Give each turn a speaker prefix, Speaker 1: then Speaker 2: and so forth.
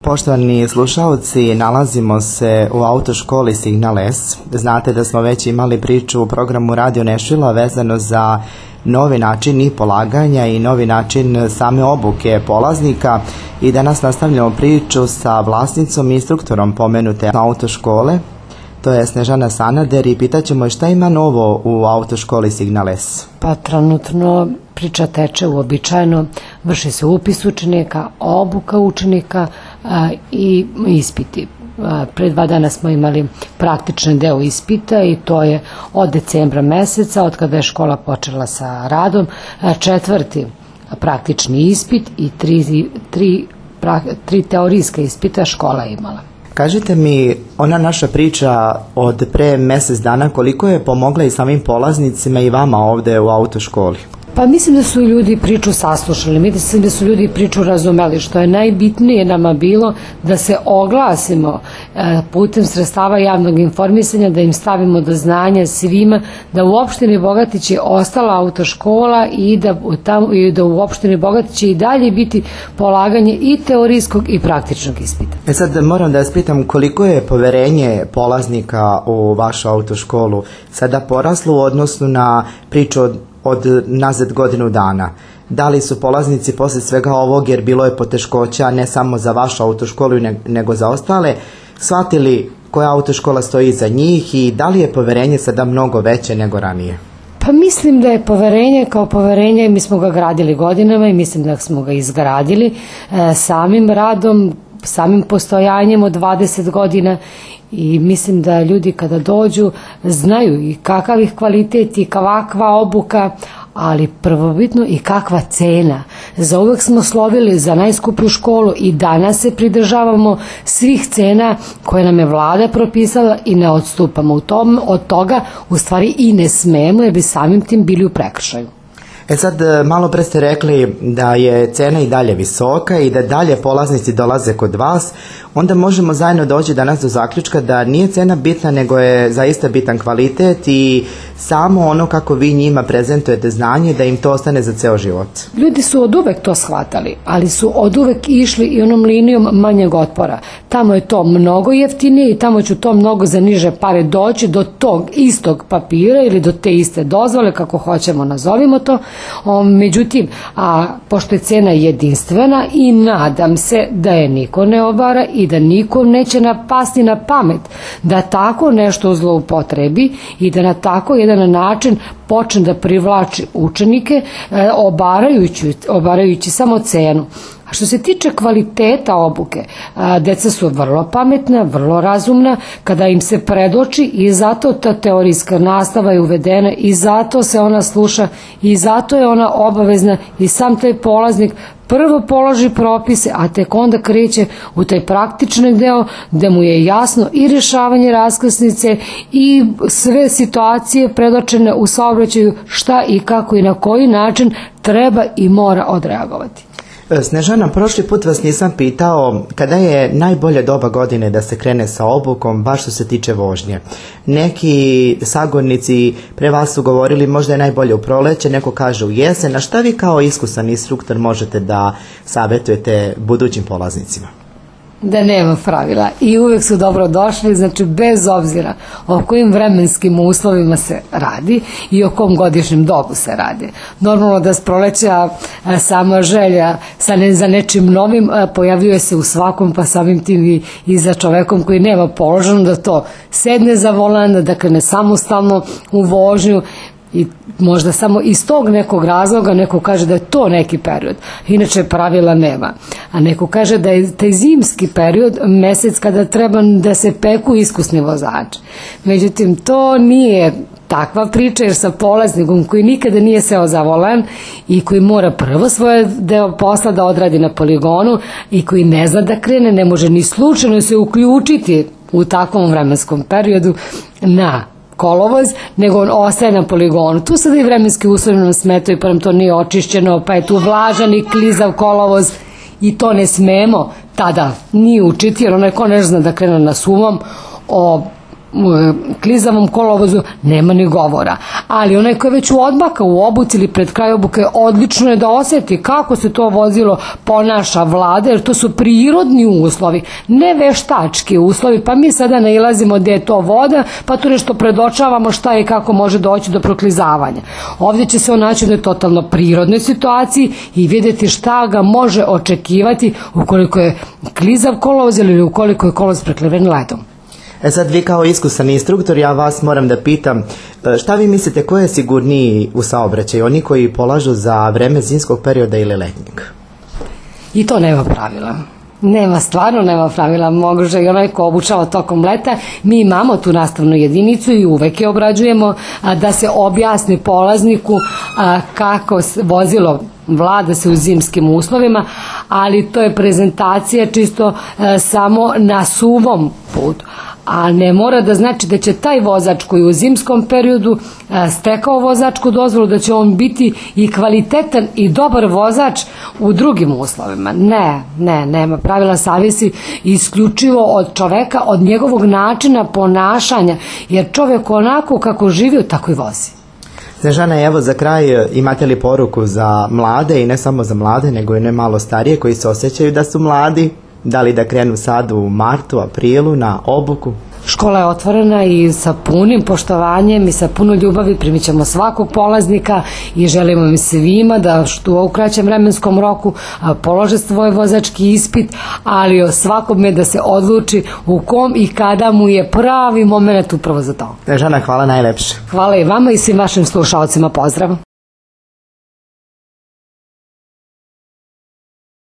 Speaker 1: Poštovani slušaoci, nalazimo se u autoškoli Signal S. Znate da smo već imali priču u programu Radio Nešvila vezano za novi način i polaganja i novi način same obuke polaznika i danas nastavljamo priču sa vlasnicom i instruktorom pomenute autoškole. To je Snežana Sanader i pitaćemo je šta ima novo u autoškoli Signal S.
Speaker 2: Pa trenutno priča teče uobičajeno, vrši se upis učenika, obuka učenika i ispiti. Pre 2 dana smo imali praktični deo ispita i to je od decembra meseca, od kada je škola počela sa radom, 4. praktični ispit i 3 teorijska ispita škola imala.
Speaker 1: Kažite mi, ona naša priča od pre mjesec dana, koliko je pomogla i samim polaznicima i vama ovde u autoškoli?
Speaker 2: Pa mislim da su ljudi priču saslušali, mislim da su ljudi priču razumeli, što je najbitnije nama bilo da se oglasimo putem sredstava javnog informisanja, da im stavimo do znanja svima da u opštini Bogatić je ostala autoškola i da u opštini Bogatić će i dalje biti polaganje i teorijskog i praktičnog ispita.
Speaker 1: Sad moram da vas pitam koliko je poverenje polaznika u vašu autoškolu sada poraslo u odnosu na priču od nazad godinu dana. Da li su polaznici posle svega ovog, jer bilo je poteškoća ne samo za vašu autoškolu nego za ostale, shvatili koja autoškola stoji iza njih i da li je poverenje sada mnogo veće nego ranije?
Speaker 2: Pa mislim da je poverenje kao poverenje, mi smo ga gradili godinama i mislim da smo ga izgradili samim radom, samim postojanjem od 20 godina i mislim da ljudi kada dođu znaju i kakav ih kvalitet i kakva obuka, ali prvobitno i kakva cena. Za uvek smo slovili za najskuplju školu i danas se pridržavamo svih cena koje nam je vlada propisala i ne odstupamo od toga, u stvari i ne smemo jer bi samim tim bili u prekršaju.
Speaker 1: Sad, malo pre ste rekli da je cena i dalje visoka i da dalje polaznici dolaze kod vas, onda možemo zajedno doći danas do zaključka da nije cena bitna, nego je zaista bitan kvalitet i samo ono kako vi njima prezentujete znanje, da im to ostane za ceo život.
Speaker 2: Ljudi su od uvek to shvatali, ali su od uvek išli i onom linijom manjeg otpora. Tamo je to mnogo jeftinije i tamo ću to mnogo za niže pare doći do tog istog papira ili do te iste dozvole, kako hoćemo nazovimo to. Međutim, pošto je cena jedinstvena i nadam se da je niko ne obara i da nikom neće napasti na pamet da tako nešto zloupotrebi i da na tako jedan način počne da privlači učenike obarajući samo cenu. A što se tiče kvaliteta obuke, deca su vrlo pametna, vrlo razumna kada im se predoči i zato ta teorijska nastava je uvedena i zato se ona sluša i zato je ona obavezna i sam taj polaznik prvo položi propise, a tek onda kreće u taj praktični deo gde mu je jasno i rješavanje raskrsnice i sve situacije predočene u saobraćaju šta i kako i na koji način treba i mora odreagovati.
Speaker 1: Snežana, prošli put vas nisam pitao kada je najbolja doba godine da se krene sa obukom, baš što se tiče vožnje. Neki sagovornici pre vas su govorili možda je najbolje u proleće, neko kaže u jesen, a šta vi kao iskusan instruktor možete da savjetujete budućim polaznicima?
Speaker 2: Da nema pravila i uvek su dobro došli, znači bez obzira o kojim vremenskim uslovima se radi i o kom godišnjem dobu se radi. Normalno da s proleća sama želja za nečim novim pojavljuje se u svakom, pa samim tim i za čovekom koji nema položeno da to sedne za volan, da krene samostalno u vožnju. I možda samo iz tog nekog razloga neko kaže da je to neki period, inače pravila nema, a neko kaže da je taj zimski period mesec kada treba da se peku iskusni vozači. Međutim, to nije takva priča, jer sa polaznikom koji nikada nije seo za volan i koji mora prvo svoje deo posla da odradi na poligonu i koji ne zna da krene, ne može ni slučajno se uključiti u takvom vremenskom periodu na kolovoz, nego on ostaje na poligonu. Tu sada i vremenski uslovi nam smetaju, pa nam to nije očišćeno, pa je tu vlažan i klizav kolovoz i to ne smemo tada ni učiti, jer onaj ko ne zna da krene na suvom klizavom kolovozu nema ni govora, ali onaj koji je već u odmaka u obuci ili pred kraj obuke, odlično je da osjeti kako se to vozilo ponaša vlada, jer to su prirodni uslovi, ne veštački uslovi, pa mi sada nailazimo gde je to voda, pa tu nešto predočavamo šta je i kako može doći do proklizavanja. Ovdje će se on naći u totalno prirodnoj situaciji i vidjeti šta ga može očekivati ukoliko je klizav kolovoz ili ukoliko je kolovoz prekriven ledom.
Speaker 1: Sad vi kao iskusan instruktor, ja vas moram da pitam, šta vi mislite ko je sigurniji u saobraćaju, oni koji polažu za vreme zimskog perioda ili letnjeg?
Speaker 2: I to nema pravila. Stvarno nema pravila, može i onaj ko obučava tokom leta. Mi imamo tu nastavnu jedinicu i uvek je obrađujemo da se objasni polazniku kako vozilo vlada se u zimskim uslovima, ali to je prezentacija čisto samo na suvom putu. A ne mora da znači da će taj vozač koji u zimskom periodu stekao vozačku dozvolu, da će on biti i kvalitetan i dobar vozač u drugim uslovima. Nema pravila, zavisi isključivo od čoveka, od njegovog načina ponašanja, jer čovjek onako kako živi, tako i vozi.
Speaker 1: Snežana, evo za kraj, imate li poruku za mlade i ne samo za mlade, nego i ne malo starije koji se osjećaju da su mladi? Da li da krenu sad u martu, aprilu na obuku?
Speaker 2: Škola je otvorena i sa punim poštovanjem i sa puno ljubavi primit ćemo svakog polaznika i želimo im svima da što u kraćem vremenskom roku polože svoj vozački ispit, ali o svakome da se odluči u kom i kada mu je pravi moment upravo za to.
Speaker 1: Snežana, hvala najlepše.
Speaker 2: Hvala i vama i svim vašim slušalcima, pozdrav.